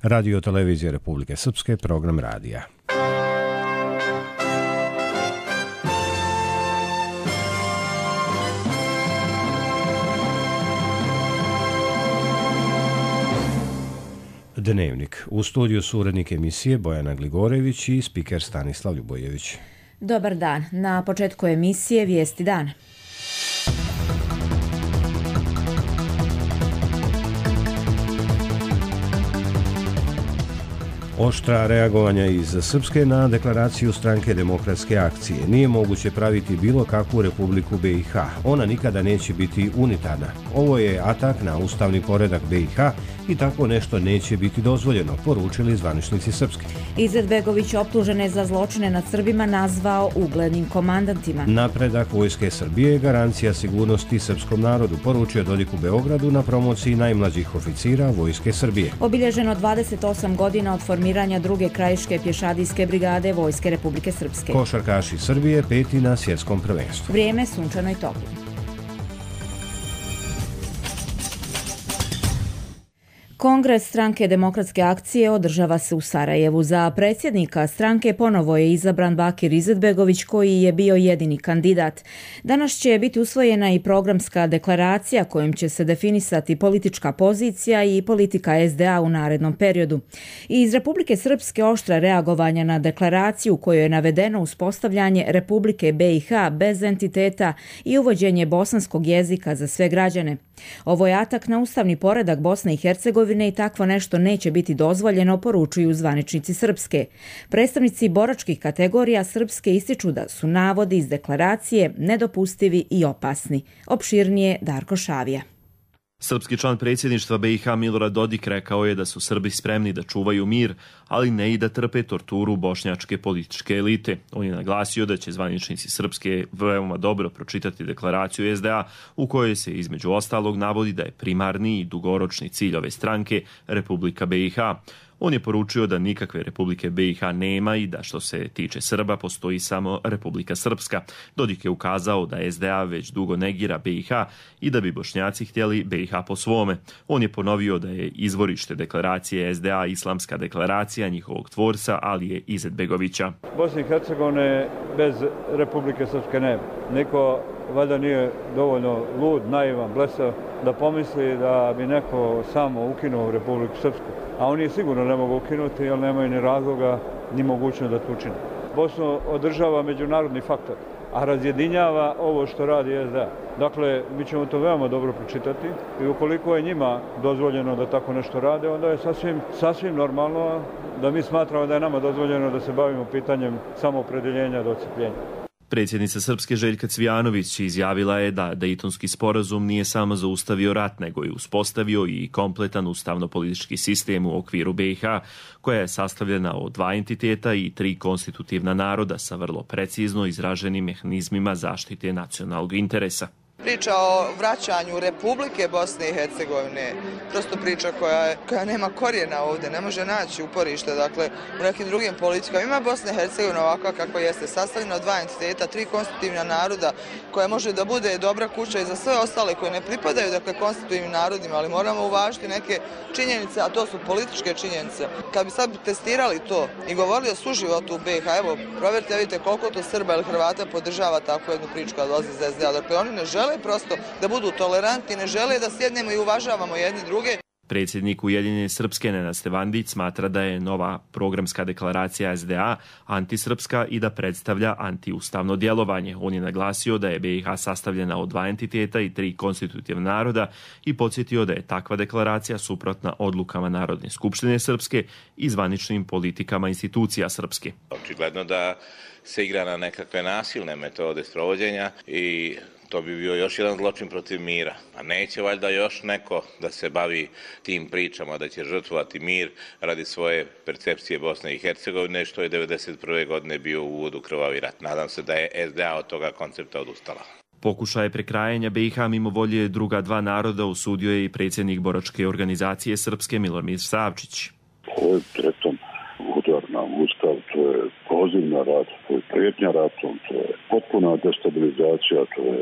Radio Televizije Republike Srpske, program radija. Dnevnik. U studiju su urednik emisije Bojana Gligorević i spiker Stanislav Ljubojević. Dobar dan. Na početku emisije Vijesti dana. Oštra reagovanja iz Srpske na deklaraciju Stranke demokratske akcije. Nije moguće praviti bilo kakvu republiku BiH. Ona nikada neće biti unitarna. Ovo je atak na ustavni poredak BiH i tako nešto neće biti dozvoljeno, poručili zvaničnici Srpske. Izetbegović optužene za zločine nad Srbima nazvao uglednim komandantima. Napredak Vojske Srbije je garancija sigurnosti srpskom narodu, poručio Dodik u Beogradu na promociji najmlađih oficira Vojske Srbije. Obilježeno 28 godina od formiranja druge krajiške pješadijske brigade Vojske Republike Srpske. Košarkaši Srbije peti na svjetskom prvenstvu. Vrijeme sunčano i toplo. Kongres Stranke demokratske akcije održava se u Sarajevu. Za predsjednika stranke ponovo je izabran Bakir Izetbegović, koji je bio jedini kandidat. Danas će biti usvojena i programska deklaracija kojom će se definisati politička pozicija i politika SDA u narednom periodu. I iz Republike Srpske oštra reagovanja na deklaraciju u kojoj je navedeno uspostavljanje Republike BiH bez entiteta i uvođenje bosanskog jezika za sve građane. Ovo je atak na ustavni poredak Bosne i Hercegovine i takvo nešto neće biti dozvoljeno, poručuju zvaničnici Srpske. Predstavnici boračkih kategorija Srpske ističu da su navodi iz deklaracije nedopustivi i opasni. Opširnije Darko Šavija. Srpski član predsjedništva BiH Milorad Dodik rekao je da su Srbi spremni da čuvaju mir, ali ne i da trpe torturu bošnjačke političke elite. On je naglasio da će zvaničnici Srpske veoma dobro pročitati deklaraciju SDA u kojoj se između ostalog navodi da je primarni i dugoročni cilj ove stranke Republika BiH. On je poručio da nikakve Republike BiH nema i da što se tiče Srba postoji samo Republika Srpska. Dodik je ukazao da SDA već dugo negira BiH i da bi Bošnjaci htjeli BiH po svome. On je ponovio da je izvorište deklaracije SDA islamska deklaracija njihovog tvorca Alije Izetbegovića. Bosne i Hercegovine bez Republike Srpske nema. Niko valjda nije dovoljno lud, naivan, blesav da pomisli da bi neko samo ukinuo Republiku Srpsku. A oni sigurno ne mogu ukinuti jer nemaju ni razloga ni mogućnost da to učine. Bosnu održava međunarodni faktor, a razjedinjava ovo što radi SDA. Dakle, mi ćemo to veoma dobro pročitati i ukoliko je njima dozvoljeno da tako nešto rade, onda je sasvim normalno da mi smatramo da je nama dozvoljeno da se bavimo pitanjem samoopredeljenja do odcepljenja. Predsjednica Srpske Željka Cvijanović izjavila je da Dejtonski sporazum nije samo zaustavio rat, nego je uspostavio i kompletan ustavno-politički sistem u okviru BiH, koja je sastavljena od 2 entiteta i 3 konstitutivna naroda sa vrlo precizno izraženim mehanizmima zaštite nacionalnog interesa. Priča o vraćanju Republike Bosne i Hercegovine, prosto priča koja nema korijena ovdje, ne može naći uporište, dakle, u nekim drugim politikama. Ima Bosna i Hercegovina ovakva kako jeste, sastavljena od 2 entiteta, 3 konstitutivna naroda, koja može da bude dobra kuća i za sve ostale koje ne pripadaju, dakle, konstitutivnim narodima, ali moramo uvažiti neke činjenice, a to su političke činjenice. Kad bi sad testirali to i govorili o suživotu u BiH, evo, provjerite, vidite koliko to Srba ili Hrvata podržava takvu jednu priču kad dolazi iz SDA. Dakle, oni ne žele prosto da budu tolerantni, ne žele da sjednemo i uvažavamo jedni druge. Predsjednik Ujedinjene Srpske Nenad Stevandić smatra da je nova programska deklaracija SDA antisrpska i da predstavlja antiustavno djelovanje. On je naglasio da je BiH sastavljena od 2 entiteta i 3 konstitutivna naroda i podsjetio da je takva deklaracija suprotna odlukama Narodne skupštine Srpske i zvaničnim politikama institucija Srpske. Očigledno da se igra na nekakve nasilne metode sprovođenja i to bi bio još jedan zločin protiv mira. A neće valjda još neko da se bavi tim pričama da će žrtvovati mir radi svoje percepcije Bosne i Hercegovine, što je 1991. godine bio u uvodu krvavi rat. Nadam se da je SDA od toga koncepta odustala. Pokušaje prekrajanja BiH mimo volje druga 2 naroda osudio je i predsjednik boračke organizacije Srpske Milomir Savčić. Ovo je tretom udar na Ustav, to je poziv na rat, to je prijetnja ratom, to je potpuna destabilizacija, to je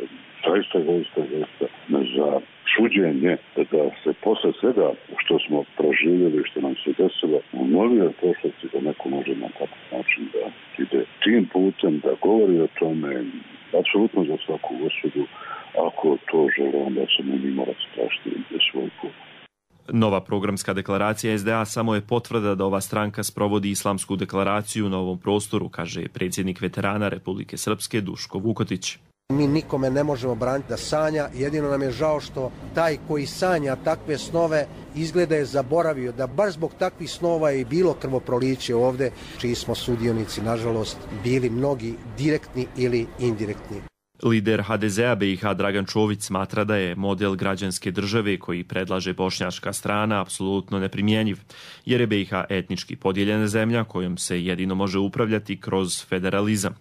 zaista za čuđenje da se posle svega što smo proživjeli, što nam se desilo, ponovio u prošlosti da neko može na takav način da ide tim putem, da govori o tome, apsolutno za svaku osudu. Ako to žele, onda se ne morati tražiti svoj put. Nova programska deklaracija SDA samo je potvrda da ova stranka sprovodi islamsku deklaraciju na ovom prostoru, kaže predsjednik veterana Republike Srpske Duško Vukotić. Mi nikome ne možemo braniti da sanja, jedino nam je žao što taj koji sanja takve snove izgleda je zaboravio da baš zbog takvih snova je i bilo krvoproliće ovdje, čiji smo sudionici, nažalost, bili mnogi direktni ili indirektni. Lider HDZ-a BiH Dragan Čović smatra da je model građanske države koji predlaže bošnjačka strana apsolutno neprimjenjiv, jer je BiH etnički podijeljena zemlja kojom se jedino može upravljati kroz federalizam.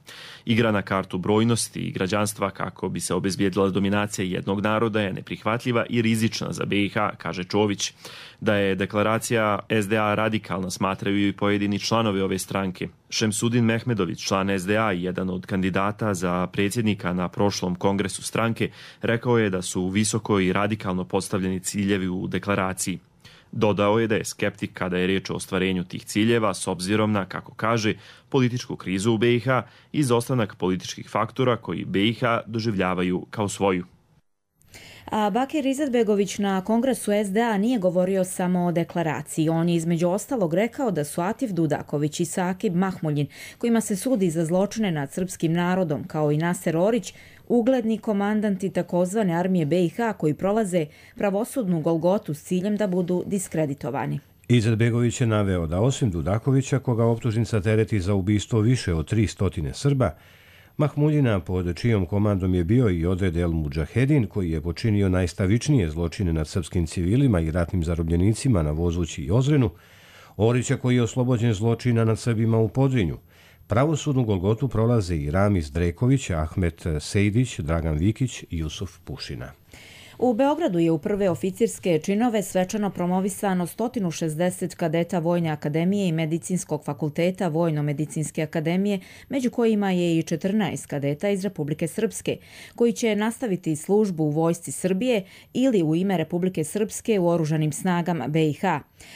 Igra na kartu brojnosti i građanstva kako bi se obezbijedila dominacija jednog naroda je neprihvatljiva i rizična za BiH, kaže Čović. Da je deklaracija SDA radikalna smatraju i pojedini članovi ove stranke. Šemsudin Mehmedović, član SDA i jedan od kandidata za predsjednika na prošlom kongresu stranke, rekao je da su visoko i radikalno postavljeni ciljevi u deklaraciji. Dodao je da je skeptik kada je riječ o ostvarenju tih ciljeva s obzirom na, kako kaže, političku krizu u BiH i izostanak političkih faktora koji BiH doživljavaju kao svoju. A Bakir Izetbegović na kongresu SDA nije govorio samo o deklaraciji. On je između ostalog rekao da su Atif Dudaković i Sakib Mahmuljin, kojima se sudi za zločine nad srpskim narodom, kao i Naser Orić, ugledni komandanti takozvane armije BiH koji prolaze pravosudnu golgotu s ciljem da budu diskreditovani. Izetbegović je naveo da osim Dudakovića, koga optužnica tereti za ubistvo više od 300 Srba, Mahmuljina, pod čijom komandom je bio i Odred El Mudžahedin, koji je počinio najstavičnije zločine nad srpskim civilima i ratnim zarobljenicima na Vozući i Ozrenu, Orića koji je oslobođen zločina nad Srbima u Podrinju. Pravosudnu golgotu prolaze i Ramiz Dreković, Ahmet Sejdić, Dragan Vikić i Jusuf Pušina. U Beogradu je u prve oficirske činove svečano promovisano 160 kadeta Vojne akademije i Medicinskog fakulteta Vojno-medicinske akademije, među kojima je i 14 kadeta iz Republike Srpske, koji će nastaviti službu u Vojsci Srbije ili u ime Republike Srpske u Oružanim snagama BiH.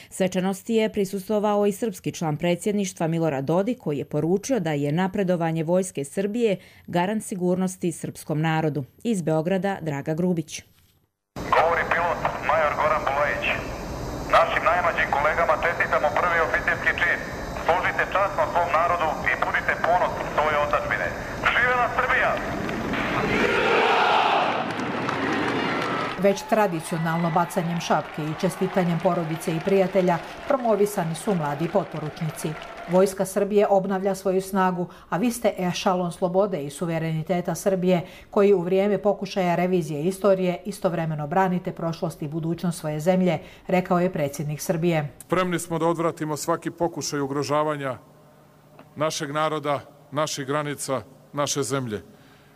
Svečanosti je prisustvovao i srpski član predsjedništva Milorad Dodik, koji je poručio da je napredovanje Vojske Srbije garant sigurnosti srpskom narodu. Iz Beograda Draga Grubić. Govori pilot major Goran Bulajić. Našim najmlađim kolegama čestitamo prvi oficirski čin. Služite časno svom narodu i budite ponos svoje otadžbine. Živela Srbija! Već tradicionalno bacanjem šapke i čestitanjem porodice i prijatelja promovisani su mladi potporučnici. Vojska Srbije obnavlja svoju snagu, a vi ste ešalon slobode i suvereniteta Srbije koji u vrijeme pokušaja revizije istorije istovremeno branite prošlost i budućnost svoje zemlje, rekao je predsjednik Srbije. Spremni smo da odvratimo svaki pokušaj ugrožavanja našeg naroda, naših granica, naše zemlje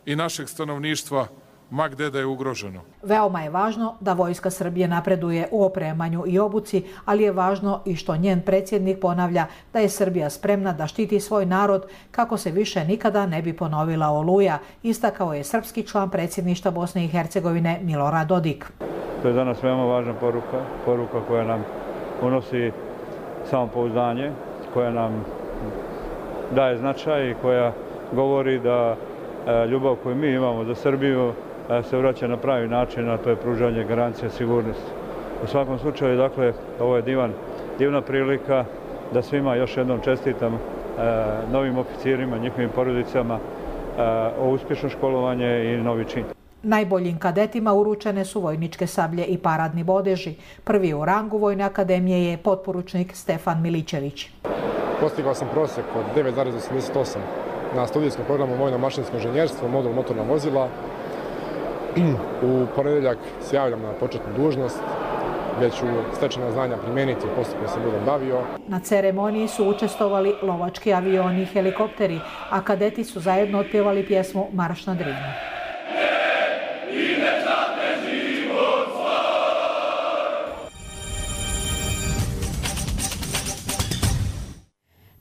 i našeg stanovništva, ma gde da je ugroženo. Veoma je važno da Vojska Srbije napreduje u opremanju i obuci, ali je važno i što njen predsjednik ponavlja da je Srbija spremna da štiti svoj narod kako se više nikada ne bi ponovila Oluja, istakao je srpski član predsjedništva Bosne i Hercegovine Milorad Dodik. To je za nas veoma važna poruka koja nam unosi samopouzdanje, koja nam daje značaj i koja govori da ljubav koju mi imamo za Srbiju se vraća na pravi način, a to je pružanje garancije sigurnosti. U svakom slučaju, dakle, ovo je divna prilika da svima još jednom čestitam novim oficirima, njihovim porodicama, o uspješno školovanje i novi čin. Najboljim kadetima uručene su vojničke sablje i paradni bodeži. Prvi u rangu Vojne akademije je potporučnik Stefan Milićević. Postigao sam prosjek od 9,88 na studijskom programu Vojno-mašinsko inženjerstvo, modul motorna vozila. U ponedjeljak se javljam na početnu dužnost, gdje ću stečena znanja primijeniti u postupku se budem bavio. Na ceremoniji su učestvovali lovački avioni i helikopteri, a kadeti su zajedno otpjevali pjesmu Marš na Drini.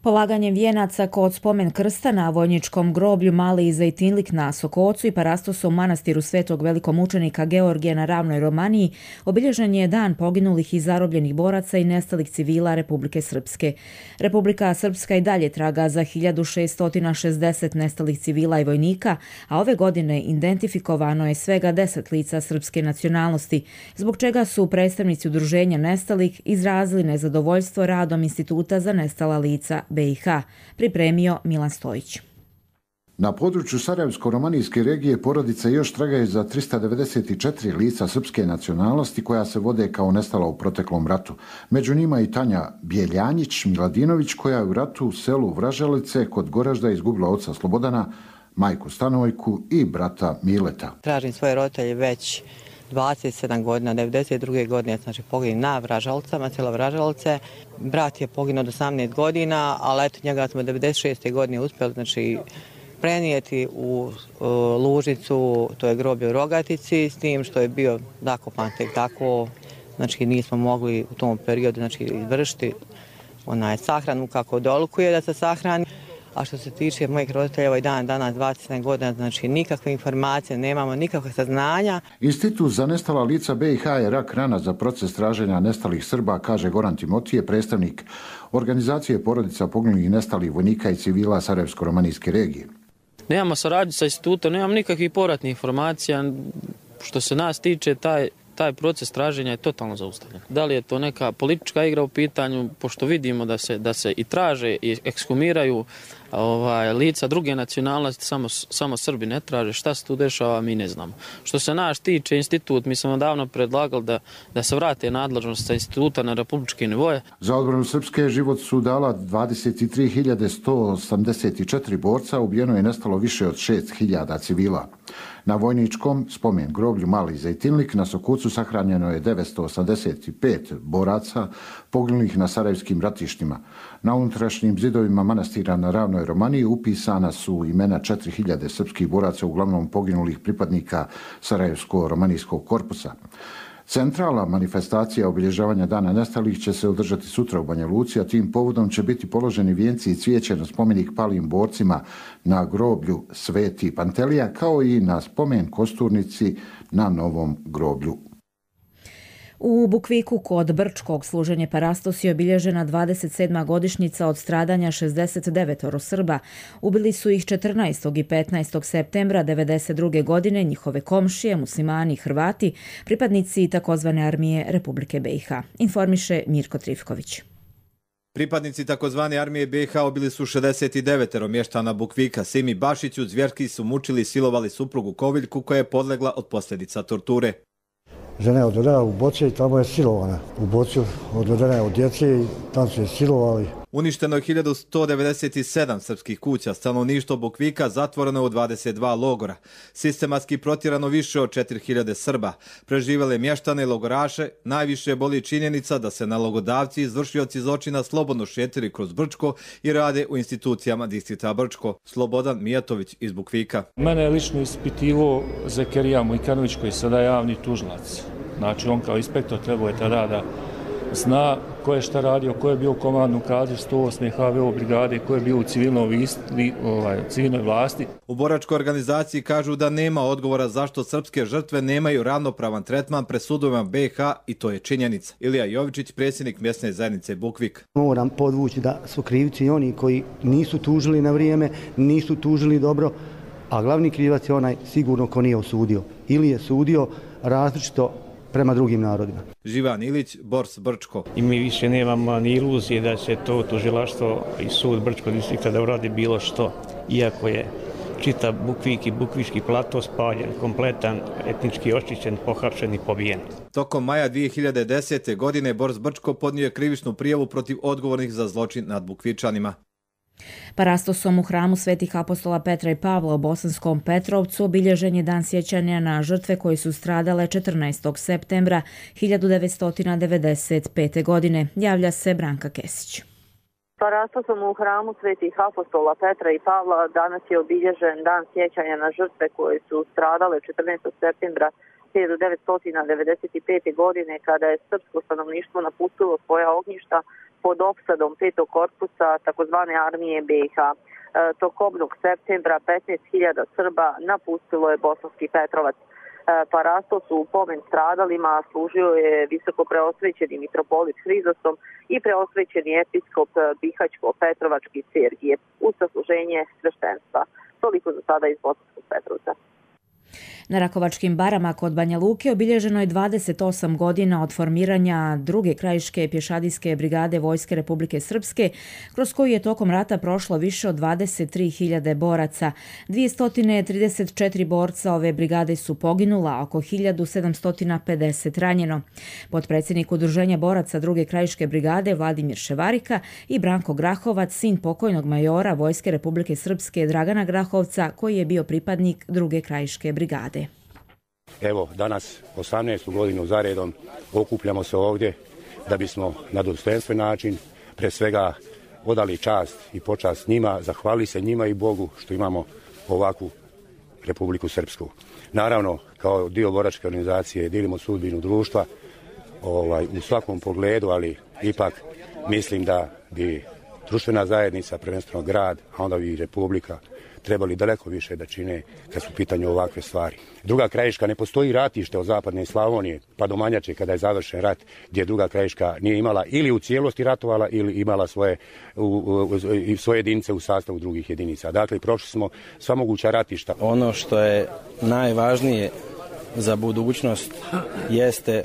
Polaganjem vijenaca kod spomen krsta na vojničkom groblju Mali Zejtinlik na Sokocu i Parastosu u manastiru Svetog velikomučenika Georgija na Ravnoj Romaniji obilježen je dan poginulih i zarobljenih boraca i nestalih civila Republike Srpske. Republika Srpska i dalje traga za 1660 nestalih civila i vojnika, a ove godine identifikovano je svega 10 lica srpske nacionalnosti, zbog čega su predstavnici udruženja nestalih izrazili nezadovoljstvo radom Instituta za nestala lica BiH, pripremio Milan Stojić. Na području Sarajevsko-romanijske regije porodice još tragaju za 394 lica srpske nacionalnosti koja se vode kao nestala u proteklom ratu. Među njima i Tanja Bjeljanjić Miladinović koja je u ratu u selu Vražalice kod Goražda izgubila oca Slobodana, majku Stanojku i brata Mileta. Tražim svoje roditelje već 27 godina, 92. godine, znači poginuo na Vražalcama, selo Vražalce. Brat je poginuo od 18 godina, ali eto njega smo 96. godine uspjeli, znači prenijeti u Lužicu, to je groblje u Rogatici, s tim što je bio zakopan tek tako, znači nismo mogli u tom periodu znači, izvršiti sahranu kako dolikuje da se sahrani. A što se tiče mojih roditelja, ovaj dan, danas 27 godina, znači nikakve informacije, nemamo nikakve saznanja. Institut za nestala lica BiH je rak rana za proces traženja nestalih Srba, kaže Goran Timotije, predstavnik organizacije porodica poginulih i nestalih vojnika i civila Sarajevsko-romanijske regije. Nemamo saradnju sa institutom, nemamo nikakvih povratnih informacija. Što se nas tiče, taj proces traženja je totalno zaustavljen. Da li je to neka politička igra u pitanju, pošto vidimo da se i traže i ekshumiraju lica druge nacionalnosti, samo Srbi ne traže. Šta se tu dešava, mi ne znamo. što se nas tiče institut, mi smo davno predlagali da se vrate nadležnost sa instituta na republičke nivoje. Za odbranu Srpske život su dala 23.184 borca, ubijeno je nestalo više od 6.000 civila. Na vojničkom spomen groblju Mali Zejtinlik na Sokucu sahranjeno je 985 boraca poginulih na sarajevskim ratištima. Na unutrašnjim zidovima manastira na Ravnoj Romaniji upisana su imena 4.000 srpskih boraca, uglavnom poginulih pripadnika Sarajevsko-romanijskog korpusa. Centralna manifestacija obilježavanja Dana nestalih će se održati sutra u Banja Luci, a tim povodom će biti položeni vijenci i cvijeće na spomenik palim borcima na groblju Sveti Pantelija, kao i na spomen kosturnici na novom groblju. U Bukviku kod Brčkog služenje Parastos je obilježena 27. godišnjica od stradanja 69 Srba. Ubili su ih 14. i 15. septembra 1992. godine njihove komšije, muslimani i Hrvati, pripadnici takozvane armije Republike BiH. Informiše Mirko Trifković. Pripadnici takozvane armije BiH ubili su 69 mještana Bukvika. Simi Bašiću zvjerski su mučili i silovali suprugu Koviljku koja je podlegla od posljedica torture. Žena je odvedena u Boce i tamo je silovana. U Bocu odvedena je od djece i tamo su je silovali. Uništeno je 1197 srpskih kuća, stanovništvo Bukvika zatvoreno je u 22 logora. Sistematski protjerano više od 4000 Srba. Preživjele mještane i logoraše, najviše boli činjenica da se nalogodavci i izvršioci zločina slobodno šetili kroz Brčko i rade u institucijama distrikta Brčko. Slobodan Mijatović iz Bukvika. Mene je lično ispitivo Zekerija Mujkanović koji je sada javni tužilac. Znači on kao inspektor trebao je tada da zna ko je šta radio, ko je bio u komandnom kadru 108. HVO brigade, ko je bio u civilnoj vlasti. U boračkoj organizaciji kažu da nema odgovora zašto srpske žrtve nemaju ravnopravan tretman pred sudovima BiH i to je činjenica. Ilija Jovičić, predsjednik mjesne zajednice Bukvik. Moram podvući da su krivci i oni koji nisu tužili na vrijeme, nisu tužili dobro, a glavni krivac je onaj sigurno ko nije osudio. Ili je sudio različito prema drugim narodima. Živan Ilić, Bors Brčko. I mi više nemamo ni iluzije da će to tužilaštvo i sud Brčkog distrikta da uradi bilo što, iako je čitav Bukvik i Bukvički plato spaljen, kompletan, etnički očišćen, pohapšen i pobijen. Tokom maja 2010. godine Bors Brčko podnio je krivičnu prijavu protiv odgovornih za zločin nad Bukvičanima. Parastosom u hramu Svetih apostola Petra i Pavla u Bosanskom Petrovcu obilježen je dan sjećanja na žrtve koji su stradale 14. septembra 1995. godine. Javlja se Branka Kesić. Parastosom u hramu Svetih apostola Petra i Pavla danas je obilježen dan sjećanja na žrtve koje su stradale 14. septembra 1995. godine kada je srpsko stanovništvo napustilo svoja ognjišta pod opsadom 5. korpusa takozvane armije BiH. Tokobnog septembra 15.000 Srba napustilo je Bosanski Petrovac. Parastos u pomen stradalima služio je visoko preosvećeni mitropolit Hrizosom i preosvećeni episkop Bihaćko-Petrovački Sergije uz sasluženje sveštenstva. Toliko za sada iz Bosanskog Petrovca. Na Rakovačkim barama kod Banja Luke obilježeno je 28 godina od formiranja druge krajiške pješadijske brigade Vojske Republike Srpske, kroz koju je tokom rata prošlo više od 23.000 boraca. 234 borca ove brigade su poginula, oko 1750 ranjeno. Potpredsjednik Udruženja boraca druge krajiške brigade Vladimir Ševarika i Branko Grahovac, sin pokojnog majora Vojske Republike Srpske Dragana Grahovca, koji je bio pripadnik druge krajiške brigade. Evo, danas 18. godinu zaredom okupljamo se ovdje da bismo na dostojanstven način pre svega odali čast i počast njima, zahvalili se njima i Bogu što imamo ovakvu Republiku Srpsku. Naravno, kao dio boračke organizacije dijelimo sudbinu društva u svakom pogledu, ali ipak mislim da bi društvena zajednica, prvenstveno grad, a onda i Republika, trebali daleko više da čine kad su u pitanju ovakve stvari. Druga krajiška, ne postoji ratište od zapadne Slavonije pa do Manjače kada je završen rat, gdje druga krajiška nije imala ili u cijelosti ratovala ili imala svoje jedinice u sastavu drugih jedinica. Dakle, prošli smo sva moguća ratišta. Ono što je najvažnije za budućnost jeste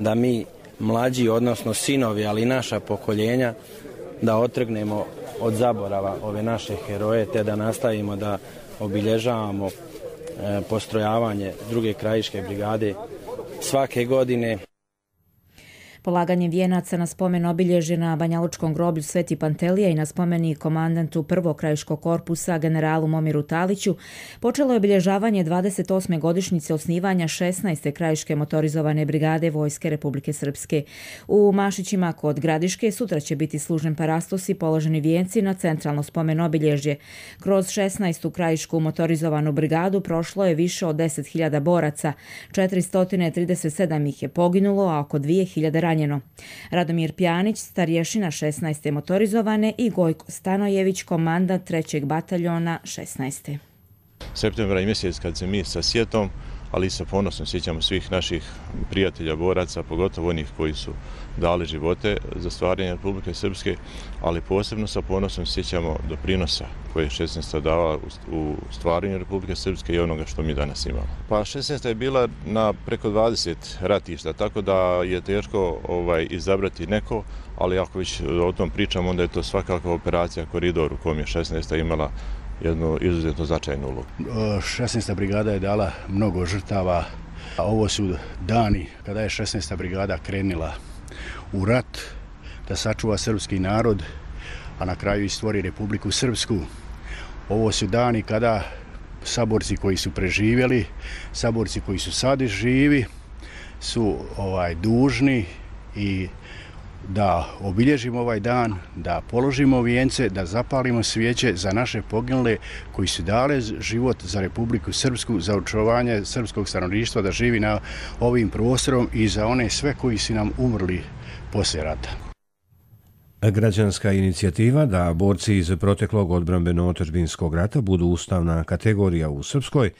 da mi mlađi, odnosno sinovi, ali i naša pokoljenja, da otrgnemo od zaborava ove naše heroje, te da nastavimo da obilježavamo postrojavanje druge krajiške brigade svake godine. Polaganjem vijenaca na spomen obilježje na Banjalučkom groblju Sveti Pantelija i na spomeni komandantu prvog krajiškog korpusa generalu Momiru Taliću počelo je obilježavanje 28. godišnjice osnivanja 16. krajiške motorizovane brigade Vojske Republike Srpske. U Mašićima kod Gradiške sutra će biti služen parastos i položeni vijenci na centralno spomen obilježje. Kroz 16. krajišku motorizovanu brigadu prošlo je više od 10.000 boraca, 437 ih je poginulo, a oko 2.000 ranjeno. Radomir Pjanić, starješina 16. motorizovane i Gojko Stanojević, komandant 3. bataljona 16. Septembra je mjesec kad se mi sa sjetom, ali i sa ponosom sjećamo svih naših prijatelja, boraca, pogotovo onih koji su dali živote za stvaranje Republike Srpske, ali posebno sa ponosom sjećamo doprinosa koje je 16. dala u stvaranju Republike Srpske i onoga što mi danas imamo. Pa 16. je bila na preko 20 ratišta, tako da je teško izabrati neko, ali ako već o tom pričamo, onda je to svakako operacija Koridor u kom je 16. imala jednu izuzetno značajnu ulogu. 16. brigada je dala mnogo žrtava. Ovo su dani kada je 16. brigada krenila u rat da sačuva srpski narod, a na kraju i stvori Republiku Srpsku. Ovo su dani kada saborci koji su preživjeli, saborci koji su sad živi, su dužni i da obilježimo ovaj dan, da položimo vijence, da zapalimo svijeće za naše poginule koji su dali život za Republiku Srpsku, za očuvanje srpskog stanovništva da živi na ovim prostorom i za one sve koji su nam umrli poslije rata. Građanska inicijativa da borci iz proteklog odbrambeno-otadžbinskog rata budu ustavna kategorija u Srpskoj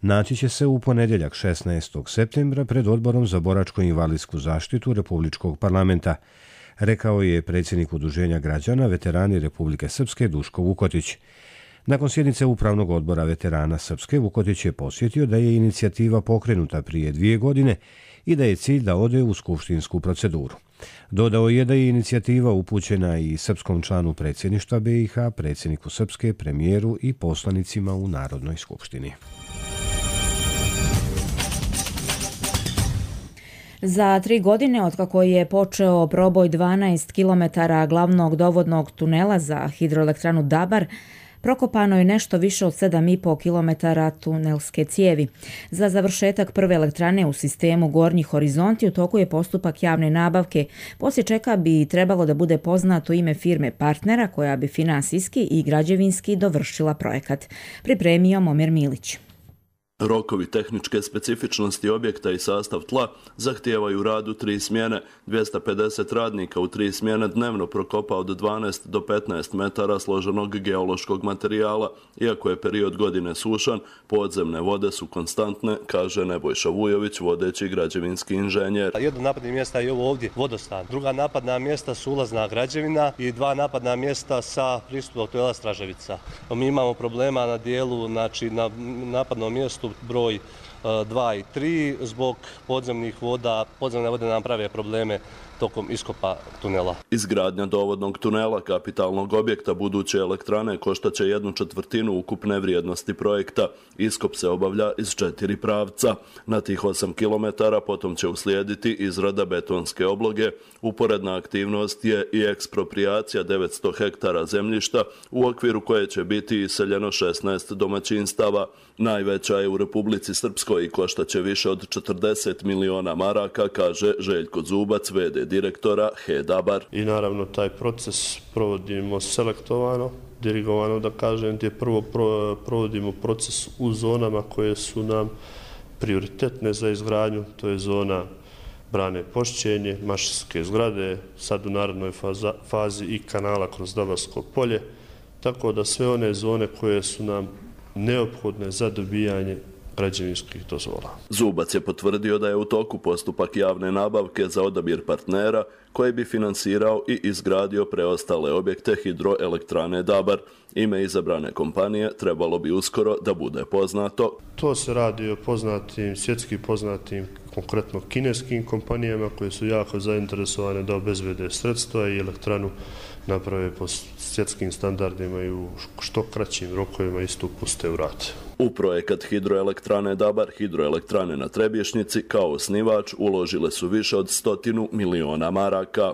naći će se u ponedjeljak 16. septembra pred Odborom za boračko-invalidsku zaštitu Republičkog parlamenta, rekao je predsjednik Udruženja građana veterani Republike Srpske Duško Vukotić. Nakon sjednice Upravnog odbora veterana Srpske, Vukotić je posjetio da je inicijativa pokrenuta prije 2 godine i da je cilj da ode u skupštinsku proceduru. Dodao je da je inicijativa upućena i srpskom članu predsjedništva BiH, predsjedniku Srpske, premijeru i poslanicima u Narodnoj skupštini. Za 3 godine otkako je počeo proboj 12 km glavnog dovodnog tunela za hidroelektranu Dabar, prokopano je nešto više od 7,5 km tunelske cijevi. Za završetak prve elektrane u sistemu Gornji horizonti u toku je postupak javne nabavke, poslije čega bi trebalo da bude poznato ime firme partnera koja bi finansijski i građevinski dovršila projekat. Pripremio Momir Milić. Rokovi tehničke specifičnosti objekta i sastav tla zahtijevaju rad u 3 smjene. 250 radnika u 3 smjene dnevno prokopa od 12 do 15 metara složenog geološkog materijala. Iako je period godine sušan, podzemne vode su konstantne, kaže Nebojša Vujović, vodeći građevinski inženjer. Jedno napadnih mjesta je ovo ovdje, vodostan. Druga napadna mjesta su ulazna građevina i 2 napadna mjesta sa pristupom tunela Straževica. Mi imamo problema na dijelu, znači na napadnom mjestu broj 2 i 3 zbog podzemnih voda. Podzemne vode nam prave probleme tokom iskopa tunela. Izgradnja dovodnog tunela, kapitalnog objekta buduće elektrane, koštaće 1/4 ukupne vrijednosti projekta. Iskop se obavlja iz 4 pravca. Na tih 8 km potom će uslijediti izrada betonske obloge. Uporedna aktivnost je i eksproprijacija 900 hektara zemljišta, u okviru koje će biti iseljeno 16 domaćinstava. Najveća je u Republici Srpskoj i koštaće više od 40 miliona maraka, kaže Željko Zubac, v.d. direktora HEDABAR. I naravno taj proces provodimo selektovano, dirigovano da kažem, gdje prvo provodimo proces u zonama koje su nam prioritetne za izgradnju, to je zona brane Pošćenje, Mašinske zgrade, sad u narednoj fazi i kanala kroz Dabarsko polje, tako da sve one zone koje su nam neophodne za dobijanje građevinskih dozvola. Zubac je potvrdio da je u toku postupak javne nabavke za odabir partnera koji bi finansirao i izgradio preostale objekte hidroelektrane Dabar. Ime izabrane kompanije trebalo bi uskoro da bude poznato. To se radi o poznatim, svjetski poznatim, konkretno kineskim kompanijama koje su jako zainteresovane da obezbede sredstva i elektranu naprave po svjetskim standardima i u što kraćim rokovima isto puste u rad. U projekat hidroelektrane Dabar, hidroelektrane na Trebješnjici, kao osnivač uložile su više od 100 miliona maraka.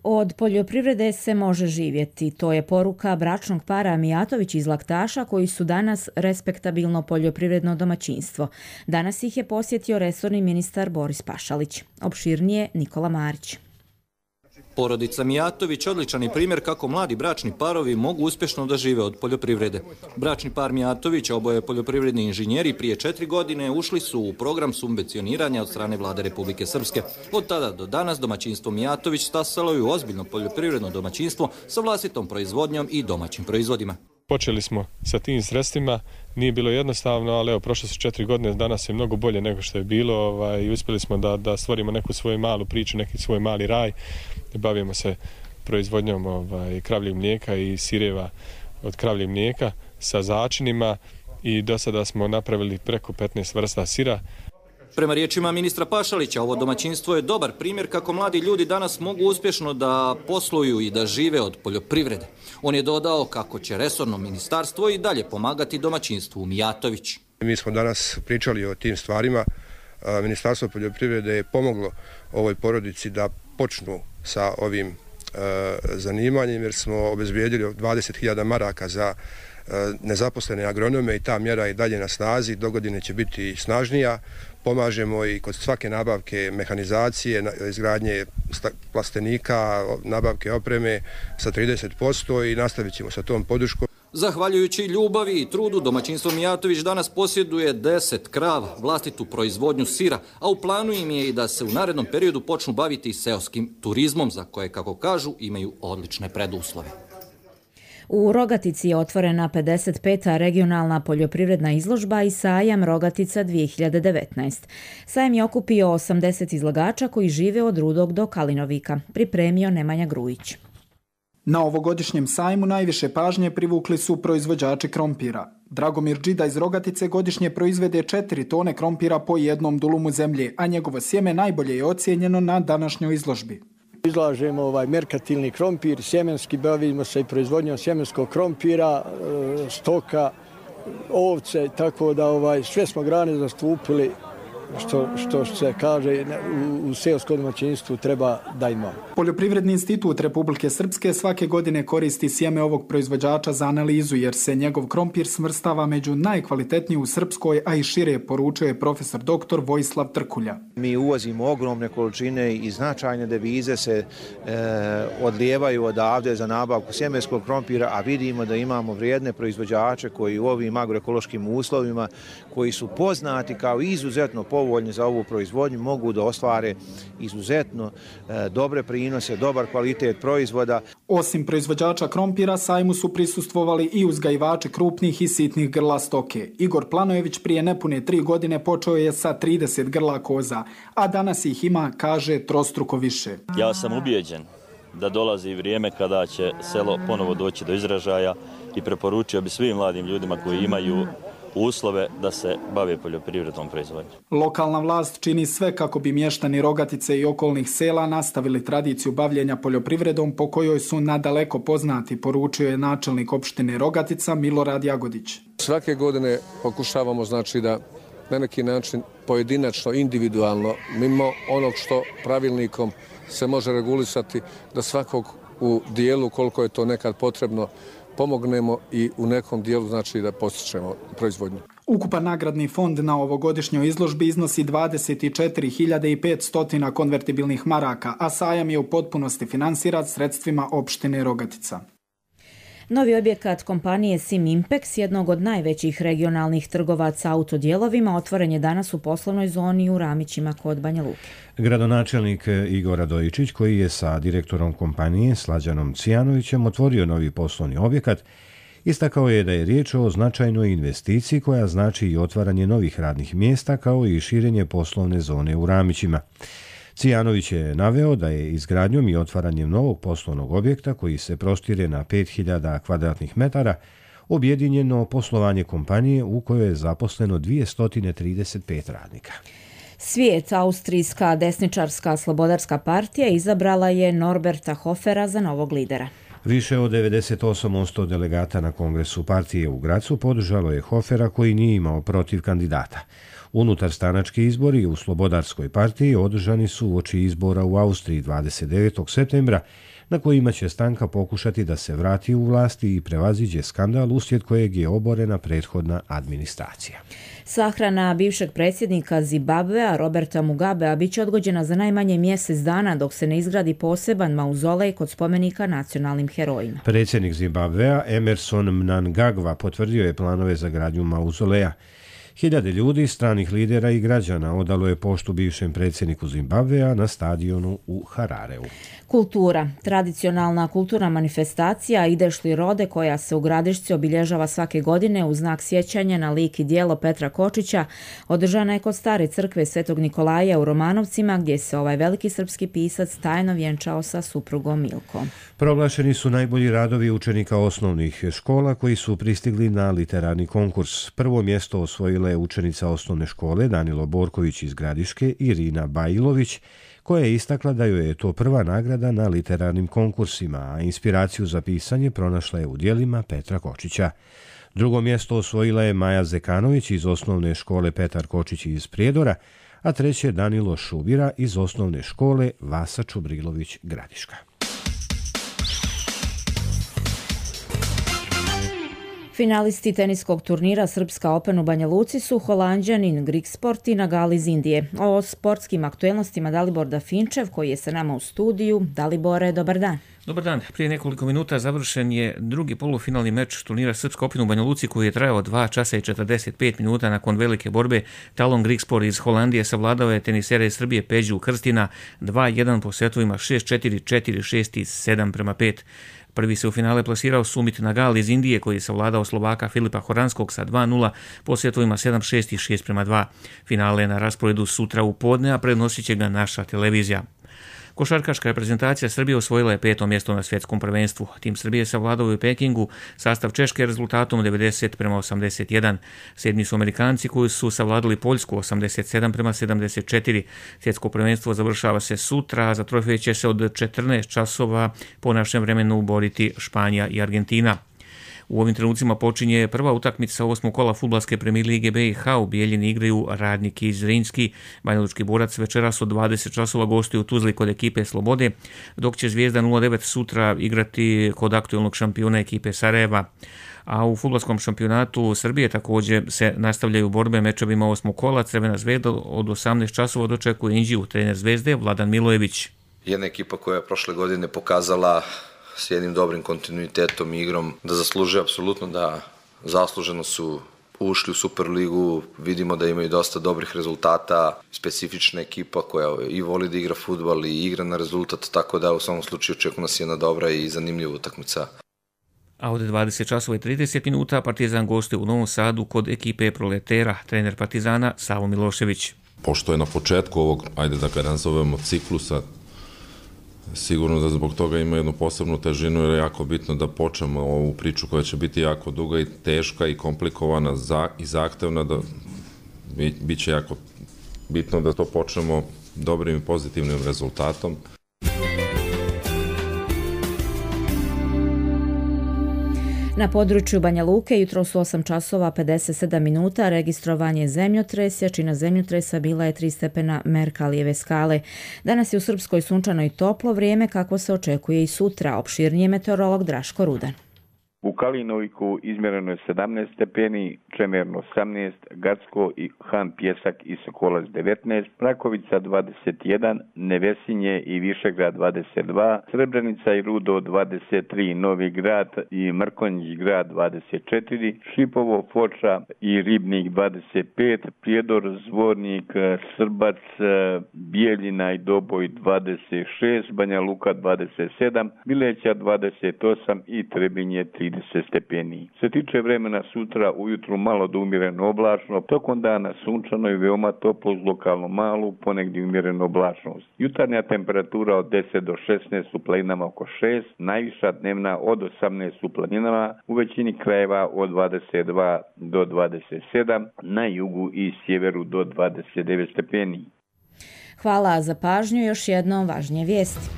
Od poljoprivrede se može živjeti. To je poruka bračnog para Mijatović iz Laktaša koji su danas respektabilno poljoprivredno domaćinstvo. Danas ih je posjetio resorni ministar Boris Pašalić. Opširnije Nikola Marić. Porodica Mijatović odličan je primjer kako mladi bračni parovi mogu uspješno da žive od poljoprivrede. Bračni par Mijatović, oboje poljoprivredni inženjeri, prije 4 godine ušli su u program subvencioniranja od strane vlade Republike Srpske. Od tada do danas domaćinstvo Mijatović stasalo je u ozbiljno poljoprivredno domaćinstvo sa vlastitom proizvodnjom i domaćim proizvodima. Počeli smo sa tim sredstvima, nije bilo jednostavno, ali evo, prošle su 4 godine, danas je mnogo bolje nego što je bilo i uspjeli smo da stvorimo neku svoju malu priču, neki svoj mali raj. Bavimo se proizvodnjom kravljeg mlijeka i sireva od kravljeg mlijeka sa začinima i do sada smo napravili preko 15 vrsta sira. Prema riječima ministra Pašalića, ovo domaćinstvo je dobar primjer kako mladi ljudi danas mogu uspješno da posluju i da žive od poljoprivrede. On je dodao kako će resorno ministarstvo i dalje pomagati domaćinstvu Mijatović. Mi smo danas pričali o tim stvarima. Ministarstvo poljoprivrede je pomoglo ovoj porodici da počnu sa ovim zanimanjem jer smo obezbijedili 20.000 maraka za nezaposlene agronome i ta mjera je dalje na snazi, dogodine će biti snažnija. Pomažemo i kod svake nabavke mehanizacije, izgradnje plastenika, nabavke opreme sa 30% i nastavit ćemo sa tom podrškom. Zahvaljujući ljubavi i trudu, domaćinstvo Mijatović danas posjeduje 10 krava, vlastitu proizvodnju sira, a u planu im je i da se u narednom periodu počnu baviti seoskim turizmom, za koje, kako kažu, imaju odlične preduslove. U Rogatici je otvorena 55. regionalna poljoprivredna izložba i sajam Rogatica 2019. Sajam je okupio 80 izlagača koji žive od Rudog do Kalinovika, pripremio Nemanja Grujić. Na ovogodišnjem sajmu najviše pažnje privukli su proizvođači krompira. Dragomir Džida iz Rogatice godišnje proizvede 4 tone krompira po jednom dulumu zemlje, a njegovo sjeme najbolje je ocijenjeno na današnjoj izložbi. Izlažemo merkatilni krompir, sjemenski, bavimo se i proizvodnjom sjemenskog krompira, stoka, ovce, tako da sve smo grane zastupili što se kaže u seoskom domaćinstvu treba da ima. Poljoprivredni institut Republike Srpske svake godine koristi sjeme ovog proizvođača za analizu jer se njegov krompir smrstava među najkvalitetniji u Srpskoj, a i šire, poručuje profesor dr. Vojislav Trkulja. Mi uvozimo ogromne količine i značajne devize se odlijevaju odavde za nabavku sjemenskog krompira, a vidimo da imamo vrijedne proizvođače koji u ovim agroekološkim uslovima, koji su poznati kao izuzetno povoljni za ovu proizvodnju, mogu da ostvare izuzetno dobre prinose, dobar kvalitet proizvoda. Osim proizvođača krompira, sajmu su prisustvovali i uzgajivači krupnih i sitnih grla stoke. Igor Planojević prije nepune 3 godine počeo je sa 30 grla koza, a danas ih ima, kaže, trostruko više. Ja sam ubijeđen da dolazi vrijeme kada će selo ponovo doći do izražaja i preporučio bi svim mladim ljudima koji imaju uslove da se bave poljoprivrednom proizvodnjom. Lokalna vlast čini sve kako bi mještani Rogatice i okolnih sela nastavili tradiciju bavljenja poljoprivredom po kojoj su nadaleko poznati, poručio je načelnik opštine Rogatica Milorad Jagodić. Svake godine pokušavamo da na neki način pojedinačno, individualno, mimo onog što pravilnikom se može regulisati, da svakog u dijelu koliko je to nekad potrebno pomognemo i u nekom dijelu da postičemo proizvodnju. Ukupan nagradni fond na ovogodišnjoj izložbi iznosi 24.500 konvertibilnih maraka, a sajam je u potpunosti finansiran sredstvima opštine Rogatica. Novi objekat kompanije Sim Impex, jednog od najvećih regionalnih trgovaca autodijelovima, otvoren je danas u poslovnoj zoni u Ramićima kod Banja Luke. Gradonačelnik Igor Radojičić, koji je sa direktorom kompanije Slađanom Cijanovićem otvorio novi poslovni objekat, istakao je da je riječ o značajnoj investiciji koja znači i otvaranje novih radnih mjesta kao i širenje poslovne zone u Ramićima. Cijanović je naveo da je izgradnjom i otvaranjem novog poslovnog objekta koji se prostire na 5000 kvadratnih metara objedinjeno poslovanje kompanije u kojoj je zaposleno 235 radnika. Svijet, austrijska desničarska slobodarska partija, izabrala je Norberta Hofera za novog lidera. Više od 98% delegata na kongresu partije u Gracu podržalo je Hofera koji nije imao protiv kandidata. Unutarstranački izbori u Slobodarskoj partiji održani su uoči izbora u Austriji 29. septembra, na kojima će stranka pokušati da se vrati u vlasti i prevaziđe skandal uslijed kojeg je oborena prethodna administracija. Sahrana bivšeg predsjednika Zimbabvea Roberta Mugabea biće odgođena za najmanje mjesec dana dok se ne izgradi poseban mauzolej kod spomenika nacionalnim herojima. Predsjednik Zimbabvea Emerson Mnangagwa potvrdio je planove za gradnju mauzoleja. Hiljade ljudi, stranih lidera i građana odalo je poštu bivšem predsjedniku Zimbabvea na stadionu u Harareu. Kultura. Tradicionalna kulturna manifestacija Ideš li rode, koja se u Gradišci obilježava svake godine u znak sjećanja na lik i djelo Petra Kočića, održana je kod stare crkve Svetog Nikolaja u Romanovcima, gdje se ovaj veliki srpski pisac tajno vjenčao sa suprugom Milkom. Proglašeni su najbolji radovi učenika osnovnih škola koji su pristigli na literarni konkurs. Prvo mjesto osvojila je učenica osnovne škole Danilo Borković iz Gradiške, Irina Bajlović, koja je istakla da joj je to prva nagrada na literarnim konkursima, a inspiraciju za pisanje pronašla je u djelima Petra Kočića. Drugo mjesto osvojila je Maja Zekanović iz osnovne škole Petar Kočić iz Prijedora, a treće Danilo Šubira iz osnovne škole Vasa Čubrilović Gradiška. Finalisti teniskog turnira Srpska Open u Banja Luci su Holanđanin Grigsport i Nagal iz Indije. O sportskim aktuelnostima Dalibor Dafinčev, koji je sa nama u studiju. Dalibore, dobar dan. Dobar dan. Prije nekoliko minuta završen je drugi polufinalni meč turnira Srpska Open u Banja Luci, koji je trajao 2 časa i 45 minuta. Nakon velike borbe Talon Grigsport iz Holandije savladao je tenisera iz Srbije Peđu Krstina 2-1 po setovima 6-4, 4-6 i 7-5. Prvi se u finale plasirao Sumit Nagal iz Indije, koji je savladao Slovaka Filipa Horanskog sa 2-0 po setovima 7-6 i 6-2. Finale je na rasporedu sutra u podne, a prenosit će ga naša televizija. Košarkaška reprezentacija Srbije osvojila je 5. mjesto na svjetskom prvenstvu. Tim Srbije savladao je u Pekingu sastav Češke rezultatom 90-81. Sedmi su Amerikanci koji su savladali Poljsku 87-74. Svjetsko prvenstvo završava se sutra, a za trofej će se od 14 časova po našem vremenu boriti Španija i Argentina. U ovim trenucima počinje prva utakmica 8. kola fudbalske premijer lige BiH. U Bijeljini igraju Radnik i Zrinski. Banjalučki Borac večeras od 20 časova gostuju u Tuzli kod ekipe Slobode, dok će Zvijezda 09 sutra igrati kod aktualnog šampiona ekipe Sarajeva. A u fudbalskom šampionatu Srbije također se nastavljaju borbe mečevima 8. kola. Crvena Zvezda od 18 časova dočekuje Inđiju, trener Zvezde Vladan Milojević. Jedna ekipa koja je prošle godine pokazala s jednim dobrim kontinuitetom i igrom da zaslužuje apsolutno, da zasluženo su ušli u Superligu, vidimo da imaju dosta dobrih rezultata, specifična ekipa koja i voli da igra fudbal i igra na rezultat, tako da u svakom slučaju očekuje nas jedna dobra i zanimljiva utakmica. A od 20 časova i 30 minuta Partizan gostuje u Novom Sadu kod ekipe Proletera, trener Partizana Savo Milošević. Pošto je na početku ovog, ajde da ga nazovemo, ciklusa, sigurno da zbog toga ima jednu posebnu težinu jer je jako bitno da počnemo ovu priču koja će biti jako duga i teška i komplikovana i zahtevna, da bit će jako bitno da to počnemo dobrim i pozitivnim rezultatom. Na području Banja Luke jutro su 8 časova 57 minuta, registrovanje zemljotresa, jačina zemljotresa bila je 3 stepena Merkalijeve skale. Danas je u Srpskoj sunčano i toplo vrijeme, kako se očekuje i sutra. Opširnije meteorolog Draško Rudan. U Kalinovku izmjereno je 17 stepeni, Čemerno 18, Gacko i Han Pjesak i Sokolac 19, Mrakovica 21, Nevesinje i Višegrad 22, Srebrenica i Rudo 23, Novi Grad i Mrkonjić grad 24, Šipovo, Foča i Ribnik 25, Prijedor, Zvornik, Srbac, Bijeljina i Doboj 26, Banja Luka 27, Bileća 28 i Trebinje 30 stepeni. Se tiče vremena sutra, ujutru malo do umjereno oblačno, tokom dana sunčano i veoma toplo uz lokalno malu, ponegdje umjereno oblačnost. Jutarnja temperatura od 10 do 16 u planinama oko 6, najviša dnevna od 18 u planinama, u većini krajeva od 22 do 27, na jugu i sjeveru do 29 stepeni. Hvala za pažnju, još jednom važnije vijesti.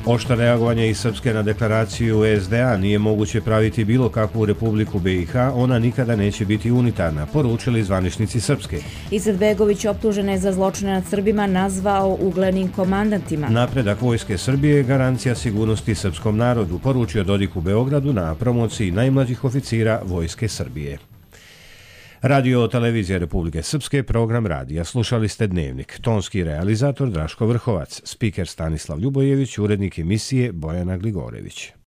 Oštro reagovanje iz Srpske na deklaraciju SDA, nije moguće praviti bilo kakvu Republiku BiH, ona nikada neće biti unitarna, poručili zvaničnici Srpske. Izetbegović optužen je za zločine nad Srbima nazvao uglednim komandantima. Napredak vojske Srbije je garancija sigurnosti srpskom narodu, poručio Dodik u Beogradu na promociji najmlađih oficira vojske Srbije. Radio televizija Republike Srpske, program radija. Slušali ste Dnevnik. Tonski realizator Draško Vrhovac, spiker Stanislav Ljubojević, urednik emisije Bojana Gligorević.